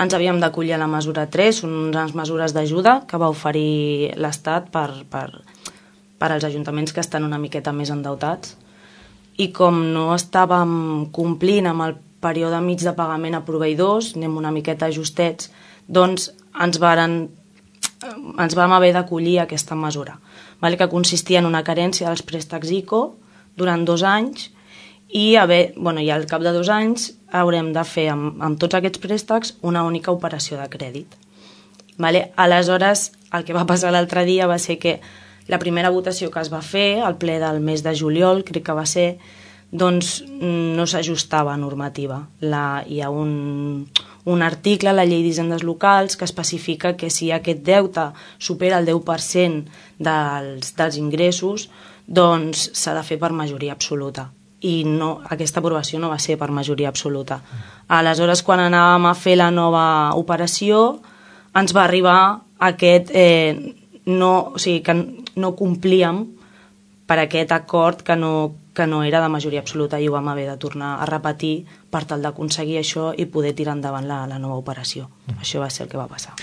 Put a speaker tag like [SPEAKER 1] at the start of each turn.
[SPEAKER 1] ens havíem d'acollir a la mesura 3, són unes mesures d'ajuda que va oferir l'Estat per als ajuntaments que estan una miqueta més endeutats. I com no estàvem complint amb el període mig de pagament a proveïdors, anem una miqueta ajustets, doncs ens vam haver d'acollir a aquesta mesura, que consistia en una carència dels préstecs ICO durant 2 anys i al cap de 2 anys haurem de fer amb tots aquests préstecs una única operació de crèdit. Aleshores, el que va passar l'altre dia va ser que la primera votació que es va fer, al ple del mes de juliol, crec que va ser, doncs no s'ajustava a normativa. Hi ha un article a la llei d'hisendes locals que especifica que si aquest deute supera el 10% dels ingressos, doncs s'ha de fer per majoria absoluta. I aquesta aprovació no va ser per majoria absoluta. Aleshores, quan anàvem a fer la nova operació, ens va arribar aquest... o sigui, que no complíem per aquest acord que no era de majoria absoluta i ho vam haver de tornar a repetir per tal d'aconseguir això i poder tirar endavant la nova operació. Això va ser el que va passar.